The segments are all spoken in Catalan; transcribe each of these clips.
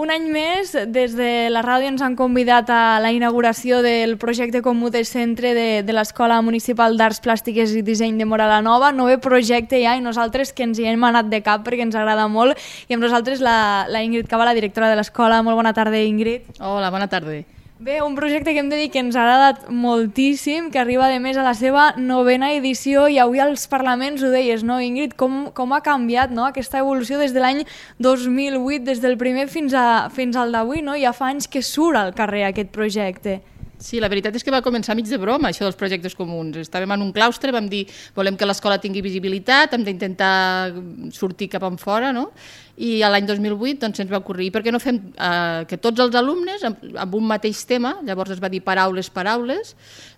un any més, des de la ràdio ens han convidat a la inauguració del projecte comú de centre de l'Escola Municipal d'Arts Plàstiques i Disseny de Móra la Nova. Nové projecte ja i nosaltres que ens hi hem anat de cap perquè ens agrada molt. I amb nosaltres la Ingrid Cava, la directora de l'escola. Molt bona tarda, Ingrid. Hola, bona tarda. Bé, un projecte que hem de dir que ens ha agradat moltíssim, que arriba de més a la seva 9ª edició i avui als Parlaments ho deies, no, Ingrid? Com ha canviat, no, aquesta evolució des de l'any 2008, des del primer fins al d'avui, no? Ja fa anys que surt al carrer aquest projecte. Sí, la veritat és que va començar mig de broma, això dels projectes comuns. Estàvem en un claustre, vam dir volem que l'escola tingui visibilitat, hem d'intentar sortir cap enfora, no? I l'any 2008 doncs, ens va ocorrir, per què no fem que tots els alumnes, amb un mateix tema, llavors es va dir paraules,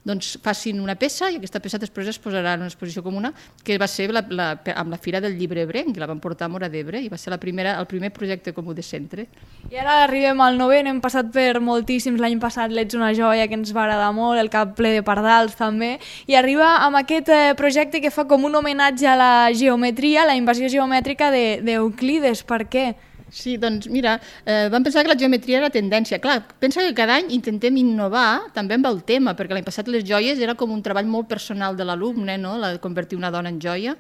doncs facin una peça i aquesta peça després es posarà en una exposició comuna, que va ser amb la Fira del Llibre Ebrenc, que la vam portar a Móra d'Ebre i va ser el primer projecte comú de centre. I ara arribem al 9è, n'hem passat per moltíssims, l'any passat l'Ets una joia, que ens va agradar molt, el Cap ple de pardals també, i arriba amb aquest projecte que fa com un homenatge a la geometria, la invasió geomètrica d'Euclides. Per què? Sí, doncs mira, vam pensar que la geometria era tendència. Clar, pensa que cada any intentem innovar també amb el tema, perquè l'any passat les joies era com un treball molt personal de l'alumne, no? La de convertir una dona en joia.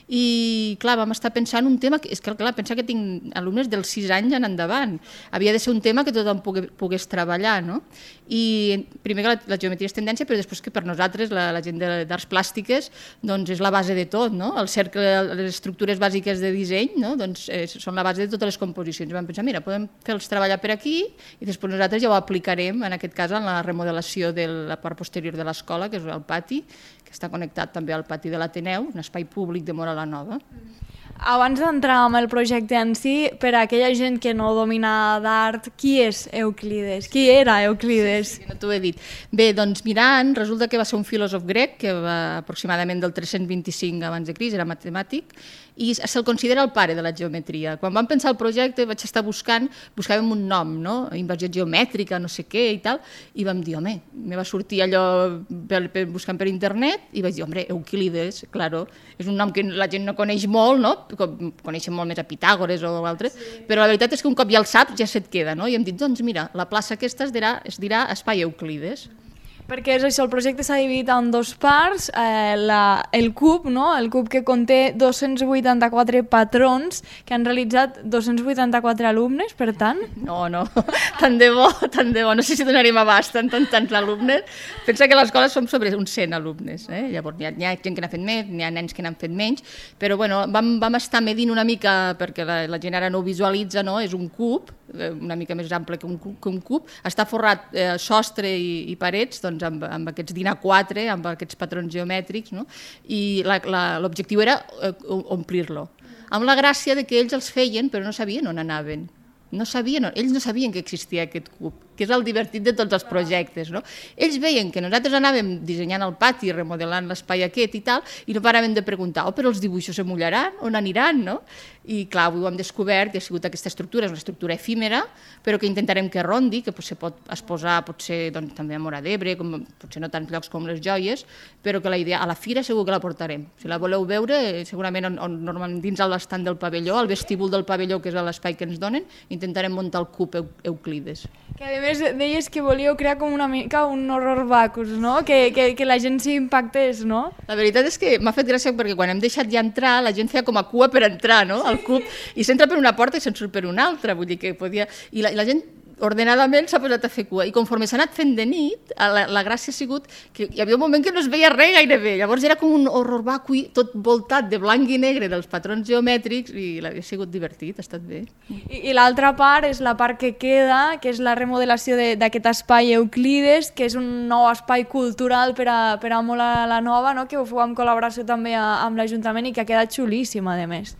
I clar, vam estar pensant un tema, és que clar, pensa que tinc alumnes dels 6 anys en endavant. Havia de ser un tema que tothom pogués treballar, no? I primer que la geometria és tendència, però després que per nosaltres, la gent d'arts plàstiques, doncs és la base de tot, no? El cercle, les estructures bàsiques de disseny, no? Doncs són la base de totes les composicions. Vam pensar, mira, podem fer-los treballar per aquí i després nosaltres ja ho aplicarem, en aquest cas, en la remodelació de la part posterior de l'escola, que és el pati, que està connectat també al pati de l'Ateneu, un espai públic de Móra la Nova. Abans d'entrar en el projecte en si, per a aquella gent que no domina d'art, qui és Euclides? Qui era Euclides? Sí, no t'ho he dit. Bé, doncs mirant, resulta que va ser un filòsof grec que va aproximadament del 325 abans de Crist, era matemàtic, i se'l considera el pare de la geometria. Quan vam pensar el projecte vaig estar buscàvem un nom, no? Inversió geomètrica, no sé què i tal, i vam dir, home, me va sortir allò buscant per internet i vaig dir, home, Euclides, claro, és un nom que la gent no coneix molt, no? Coneixen molt més a Pitàgores o altres, sí. Però la veritat és que un cop ja el saps ja se't queda, no? I hem dit, doncs mira, la plaça aquesta es dirà Espai Euclides. Perquè és això, el projecte s'ha dividit en 2 parts, el CUP, no? El CUP que conté 284 patrons que han realitzat 284 alumnes, per tant. No, tant de bo, no sé si donarem abast tants alumnes. Pensa que a l'escola som sobre uns 100 alumnes, llavors hi ha gent que n'ha fet més, hi ha nens que n'han fet menys, però bueno, vam estar medint una mica, perquè la gent ara no ho visualitza, no? És un cub, una mica més ample que un cub, està forrat sostre i parets, doncs amb aquests DIN A4, amb aquests patrons geomètrics, no? I l'objectiu era omplir-lo. Amb la gràcia de que ells els feien però no sabien on anaven. Ells no sabien que existia aquest cub, que és el divertit de tots els projectes, no? Ells veien que nosaltres anàvem dissenyant el pati, remodelant l'espai aquest i tal, i no paraven de preguntar, però els dibuixos se mullaran, on aniran, no? I clar, avui ho hem descobert, que ha sigut aquesta estructura, és una estructura efímera, però que intentarem que rondi, que potser pot exposar doncs, també a Móra d'Ebre, potser no tants llocs com les joies, però que la idea, a la fira segur que la portarem. Si la voleu veure, segurament normalment dins l'estant del pavelló, al vestíbul del pavelló, que és l'espai que ens donen, intentarem muntar el cub Euclides. Que a més deies que volíeu crear com una mica un horror vacus, no? Que la gent s'hi impactés, no? La veritat és que m'ha fet gràcia perquè quan hem deixat ja entrar, la gent feia com a cua per entrar, no? Al cub, i s'entra per una porta i se'n surt per una altra, vull dir que podia... I la gent ordenadament s'ha posat a fer cua, i conforme s'ha anat fent de nit, la gràcia ha sigut que hi havia un moment que no es veia res gairebé, llavors era com un horror vacui tot voltat de blanc i negre dels patrons geomètrics i ha sigut divertit, ha estat bé. I l'altra part és la part que queda, que és la remodelació d'aquest espai Euclides, que és un nou espai cultural per a Móra la Nova, no? Que ho feu en col·laboració també amb l'Ajuntament i que ha quedat xulíssim, a més.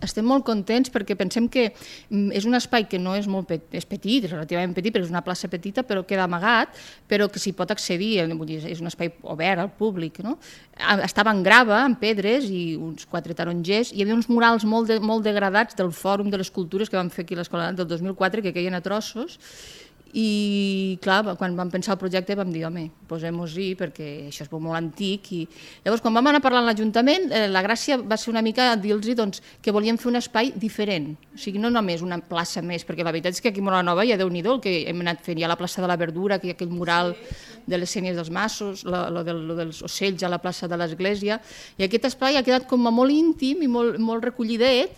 Estem molt contents perquè pensem que és un espai que no és molt és petit, és relativament petit, perquè és una plaça petita, però queda amagat, però que s'hi pot accedir, vull dir, és un espai obert al públic, no? Estava en grava, en pedres i uns 4 tarongers, hi havia uns murals molt degradats del Fòrum de les Cultures que vam fer aquí a l'Escola del 2004, que queien a trossos, I clar, quan vam pensar el projecte vam dir, home, posem-nos-hi perquè això és molt antic. I llavors, quan vam anar parlant a l'Ajuntament, la gràcia va ser una mica dir-los doncs, que volíem fer un espai diferent, o sigui, no només una plaça més, perquè la veritat és que aquí a Móra-la-Nova ja Déu-n'hi-do el que hem anat fent, hi ha la plaça de la Verdura, que hi ha aquell mural de les Sénies dels Massos, lo dels ocells a la plaça de l'Església, i aquest espai ha quedat com molt íntim i molt recollidet,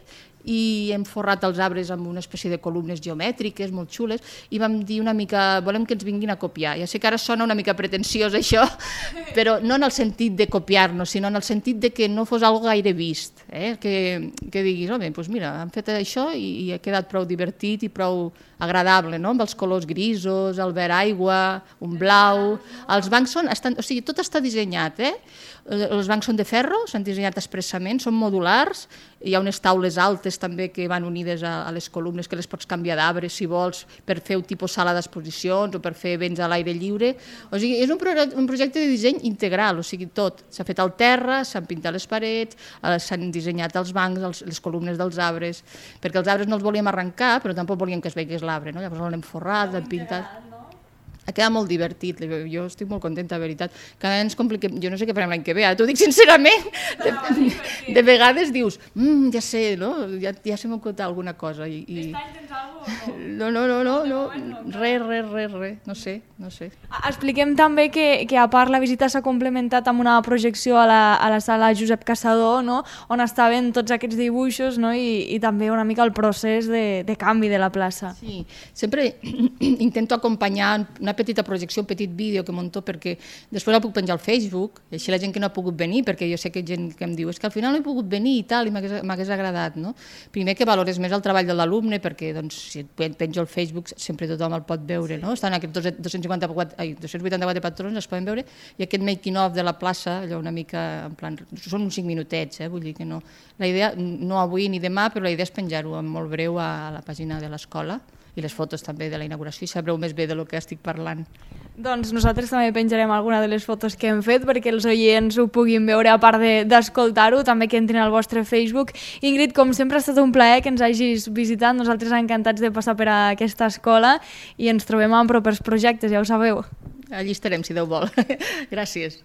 i hem forrat els arbres amb una espècie de columnes geomètriques molt xules i vam dir una mica, volem que ens vinguin a copiar. Ja sé que ara sona una mica pretensiós això, però no en el sentit de copiar-nos, sinó en el sentit de que no fos algo gaire vist, que diguis, home, doncs mira, han fet això i ha quedat prou divertit i prou agradable, no? Amb els colors grisos, el verd aigua, un blau... Els bancs estan... O sigui, tot està dissenyat, Els bancs són de ferro, s'han dissenyat expressament, són modulars, hi ha unes taules altes també que van unides a les columnes que les pots canviar d'arbres si vols per fer un tipus sala d'exposicions o per fer events a l'aire lliure. O sigui, és un projecte de disseny integral, o sigui, tot. S'ha fet al terra, s'han pintat les parets, s'han dissenyat els bancs, les columnes dels arbres, perquè els arbres no els volíem arrencar, però tampoc volíem que es veigués l'arbre, no? Llavors l'hem forrat, l'hem pintat... Ha quedat molt divertit, jo estic molt contenta, de veritat. Cada any ens compliquem, jo no sé què farem l'any que ve, ara t'ho dic sincerament, de vegades dius, ja sé, no? Ja se m'ha acontat alguna cosa. Aquest any tens alguna cosa? No, res, no sé. Expliquem també que a part la visita s'ha complementat amb una projecció a la sala Josep Caçador, no? On estaven tots aquests dibuixos, no? I també una mica el procés de canvi de la plaça. Sí, sempre intento acompanyar una petita projecció, un petit vídeo que munto perquè després la puc penjar al Facebook i així la gent que no ha pogut venir, perquè jo sé que hi ha gent que em diu és que al final no he pogut venir i tal, i m'hagués agradat, no? Primer que valores més el treball de l'alumne perquè doncs, si et penjo al Facebook sempre tothom el pot veure, no? Estan aquests 284 patrons, es poden veure, i aquest making of de la plaça, allò una mica en plan, són uns 5 minutets, vull dir que no. La idea, no avui ni demà, però la idea és penjar-ho molt breu a la pàgina de l'escola i les fotos també de la inauguració i sabreu més bé del que estic parlant. Doncs nosaltres també penjarem alguna de les fotos que hem fet perquè els oients ho puguin veure a part d'escoltar-ho, també que entrin al vostre Facebook. Ingrid, com sempre ha estat un plaer que ens hagis visitat, nosaltres encantats de passar per a aquesta escola i ens trobem en propers projectes, ja ho sabeu. Allí estarem, si Déu vol. Gràcies.